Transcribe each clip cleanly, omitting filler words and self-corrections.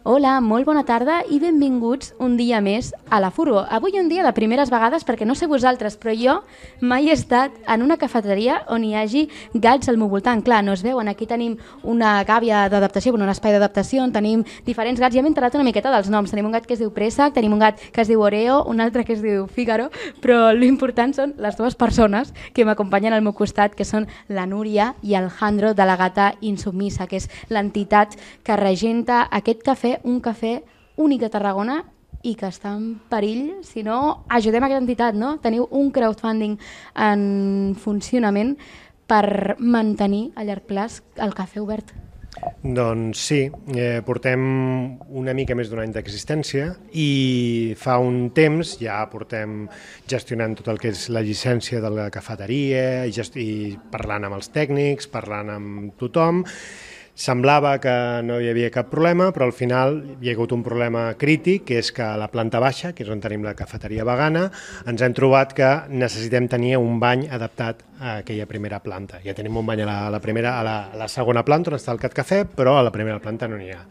Hola, molt bona tarda i benvinguts un dia més a la Furgo. Avui un dia de primeres vegades perquè no sé vosaltres, però jo mai he estat en una cafeteria on hi hagi gats al meu voltant. Clar, no es veuen, aquí tenim una gàbia d'adaptació, un espai d'adaptació on tenim diferents gats. Ja m'he enterat una miqueta dels noms. Tenim un gat que es diu Préssec, tenim un gat que es diu Oreo, un altre que es diu Fígaro, però l'important són les dues persones que m'acompanyen al meu costat, que són la Núria i el Jandro de la Gata Insubmisa, que és l'entitat que regenta aquest cafè, un cafè únic de Tarragona i que està en perill, si no, ajudem aquesta entitat, no? Teniu un crowdfunding en funcionament per mantenir a llarg plaç el cafè obert. Doncs sí, portem una mica més d'un any d'existència i fa un temps ja portem gestionant tot el que és la llicència de la cafeteria i parlant amb els tècnics, parlant amb tothom. Semblava que no hi havia cap problema, però al final hi ha hagut un problema crític, que és que a la planta baixa, que és on tenim la cafeteria vegana, ens hem trobat que necessitem tenir un bany adaptat a aquella primera planta. Ja tenim un bany a la segona planta on està el Cat Cafè, però a la primera planta no n'hi ha.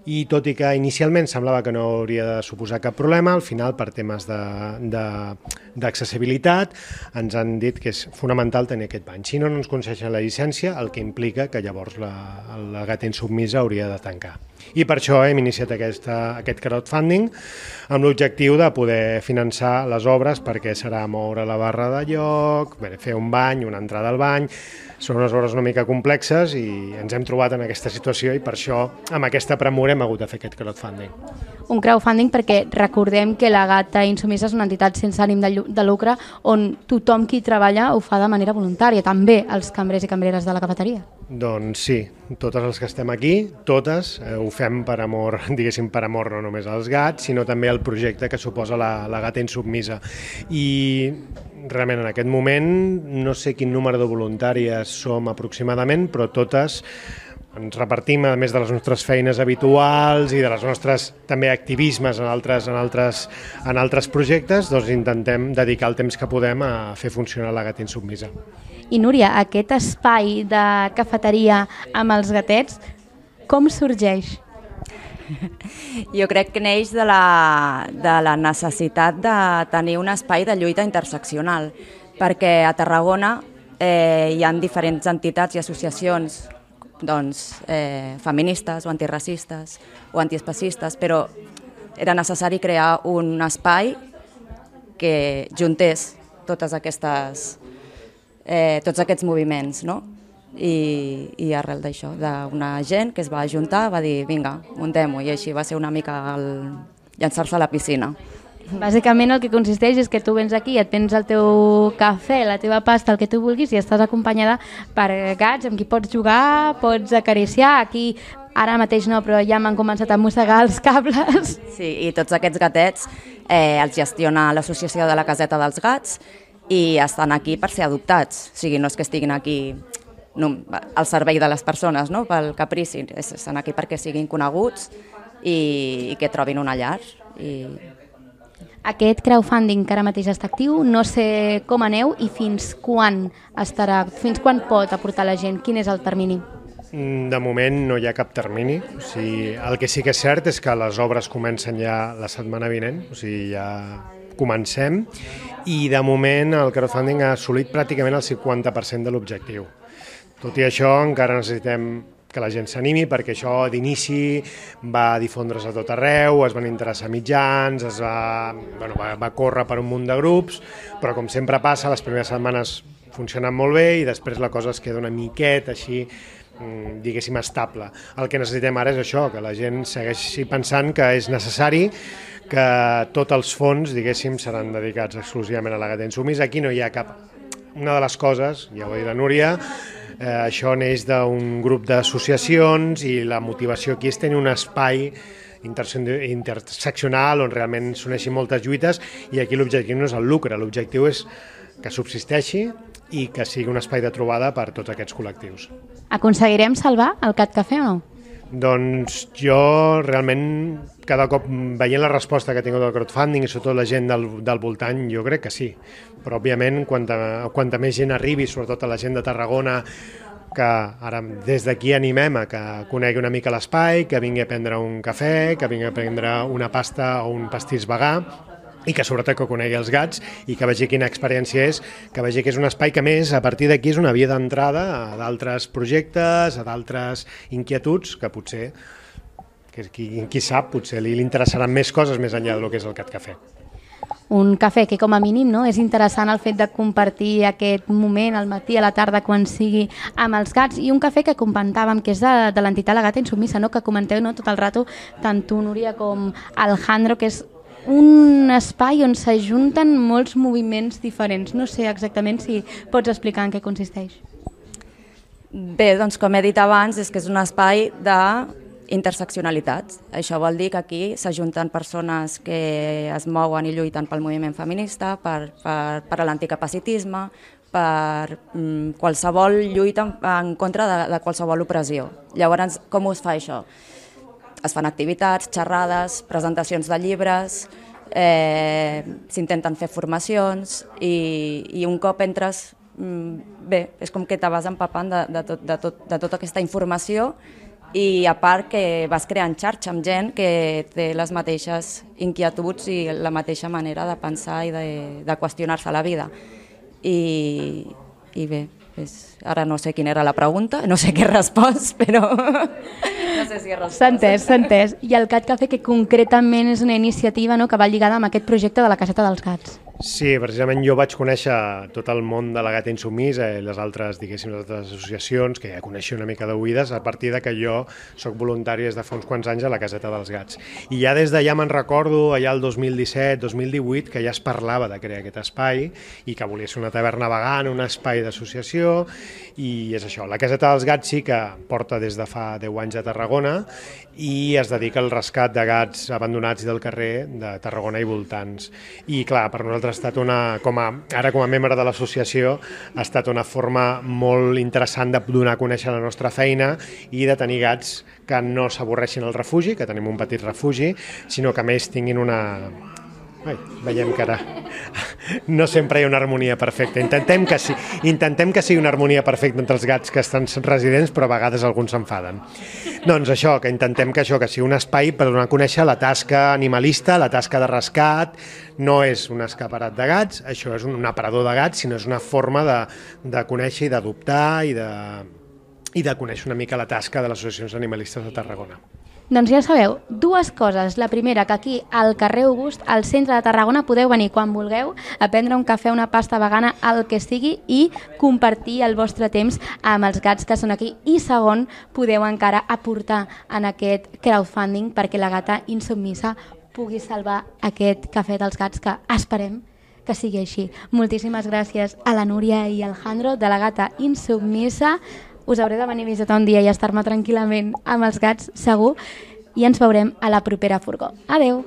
I tot i que inicialment semblava que no hauria de suposar cap problema, al final per temes d'accessibilitat ens han dit que és fonamental tenir aquest bany. Si no ens concedeixen la llicència, el que implica que llavors la Gata Insubmisa hauria de tancar. I per això hem iniciat aquest crowdfunding amb l'objectiu de poder finançar les obres, perquè serà moure la barra de lloc, fer un bany, una entrada al bany. Són unes obres una mica complexes i ens hem trobat en aquesta situació i per això amb aquesta premura hem hagut de fer aquest crowdfunding. Un crowdfunding perquè recordem que la Gata Insubmisa és una entitat sense ànim de lucre on tothom qui treballa ho fa de manera voluntària, també els cambrers i cambreres de la cafeteria. Doncs sí, totes les que estem aquí, totes ho fem per amor, diguéssim per amor no només als gats, sinó també al projecte que suposa la Gata Insubmisa. I realment en aquest moment no sé quin número de voluntàries som aproximadament, però totes ens repartim, a més de les nostres feines habituals i de les nostres també activismes en altres projectes, doncs intentem dedicar el temps que podem a fer funcionar la Gata Insubmisa. I Núria, aquest espai de cafeteria amb els gatets, com sorgeix? Jo crec que neix de la necessitat de tenir un espai de lluita interseccional, perquè a Tarragona hi ha diferents entitats i associacions feministes o antiracistes o antiespecistes, però era necessari crear un espai que juntés tots aquests moviments, no? I arrel d'això, d'una gent que es va ajuntar, va dir vinga, muntem-ho, i així va ser una mica llançar-se a la piscina. Bàsicament el que consisteix és que tu vens aquí, et prens el teu cafè, la teva pasta, el que tu vulguis, i estàs acompanyada per gats amb qui pots jugar, pots acariciar. Aquí ara mateix no, però ja m'han començat a mossegar els cables. Sí, i tots aquests gatets els gestiona l'associació de la Caseta dels Gats i estan aquí per ser adoptats, o sigui, no és que estiguin aquí al servei de les persones, no? Pel caprici, estan aquí perquè siguin coneguts i que trobin una llar. Aquest crowdfunding que ara mateix està actiu, no sé com aneu i fins quan pot aportar la gent, quin és el termini? De moment no hi ha cap termini, o sigui, el que sí que és cert és que les obres comencen ja la setmana vinent, o sigui, ja comencem, i de moment el crowdfunding ha assolit pràcticament el 50% de l'objectiu. Tot i això encara necessitem que la gent s'animi, perquè això d'inici va difondre's a tot arreu, es van interessar mitjans, va córrer per un munt de grups, però com sempre passa, les primeres setmanes funcionen molt bé i després la cosa es queda una miqueta així, diguéssim, estable. El que necessitem ara és això, que la gent segueixi pensant que és necessari, que tots els fons, diguéssim, seran dedicats exclusivament a la Gata Insubmisa. Aquí no hi ha cap... Una de les coses, ja ho ha dit la Núria, això neix d'un grup d'associacions i la motivació aquí és tenir un espai interseccional on realment s'uneixin moltes lluites i aquí l'objectiu no és el lucre, l'objectiu és que subsisteixi i que sigui un espai de trobada per tots aquests col·lectius. Aconseguirem salvar el Cat Cafè o no? Doncs jo realment cada cop veient la resposta que ha tingut el crowdfunding i sobretot la gent del voltant, jo crec que sí. Però òbviament quanta més gent arribi, sobretot a la gent de Tarragona que ara des d'aquí animem a que conegui una mica l'espai, que vingui a prendre un cafè, que vingui a prendre una pasta o un pastís vegà, i que sobretot que conegui els gats i que vegi quina experiència és, que vegi que és un espai que més a partir d'aquí és una via d'entrada a d'altres projectes, a d'altres inquietuds que potser, que qui sap, potser li interessaran més coses més enllà del que és el Cat Cafè. Un cafè que com a mínim és interessant el fet de compartir aquest moment al matí, a la tarda, quan sigui amb els gats, i un cafè que comentàvem que és de l'entitat La Gata Insubmisa, que comenteu tot el rato, tant tu, Núria, com Alejandro, que és un espai on s'ajunten molts moviments diferents. No sé exactament si pots explicar en què consisteix. Bé, doncs com he dit abans, és que és un espai d'interseccionalitat. Això vol dir que aquí s'ajunten persones que es mouen i lluiten pel moviment feminista, per l'anticapacitisme, per qualsevol lluita en contra de qualsevol opressió. Llavors, com es fa això? Es fan activitats, xerrades, presentacions de llibres, s'intenten fer formacions i un cop entres, bé, és com que te vas empapant de tota aquesta informació i a part que vas creant xarxa amb gent que té les mateixes inquietuds i la mateixa manera de pensar i de qüestionar-se la vida. I bé, ara no sé quina era la pregunta, no sé què he respost, però no sé si he respost. S'ha entès. I el Cat Cafè, que concretament és una iniciativa que va lligada amb aquest projecte de la Caseta dels Gats. Sí, precisament jo vaig conèixer tot el món de La Gata Insubmisa i les altres, diguéssim, les altres associacions que ja coneixia una mica d'oïdes a partir de que jo soc voluntari des de fa uns quants anys a la Caseta dels Gats. I ja des d'allà me'n recordo, allà el 2017-2018, que ja es parlava de crear aquest espai i que volia ser una taverna vegana, un espai d'associació, i és això. La Caseta dels Gats sí que porta des de fa 10 anys a Tarragona i es dedica al rescat de gats abandonats del carrer de Tarragona i voltants. I clar, per nosaltres ha estat com a membre de l'associació, ha estat una forma molt interessant de donar a conèixer la nostra feina i de tenir gats que no s'avorreixin al refugi, que tenim un petit refugi, sinó que a més tinguin una... veiem que ara no sempre hi ha una harmonia perfecta. Intentem que sigui una harmonia perfecta entre els gats que estan residents, però a vegades alguns s'enfaden. Doncs això, que intentem que sigui un espai per donar a conèixer la tasca animalista, la tasca de rescat. No és un escaparat de gats, això és un aparador de gats, sinó és una forma de conèixer i d'adoptar i de conèixer una mica la tasca de les associacions animalistes de Tarragona. Doncs ja sabeu, dues coses. La primera, que aquí al carrer August, al centre de Tarragona, podeu venir quan vulgueu a prendre un cafè, una pasta vegana, el que sigui, i compartir el vostre temps amb els gats que són aquí. I segon, podeu encara aportar en aquest crowdfunding perquè la Gata Insubmisa pugui salvar aquest cafè dels gats, que esperem que sigui així. Moltíssimes gràcies a la Núria i al Alejandro de la Gata Insubmisa. Us hauré de venir a visitar un dia i estar-me tranquil·lament amb els gats, segur, i ens veurem a la propera furgó. Adeu!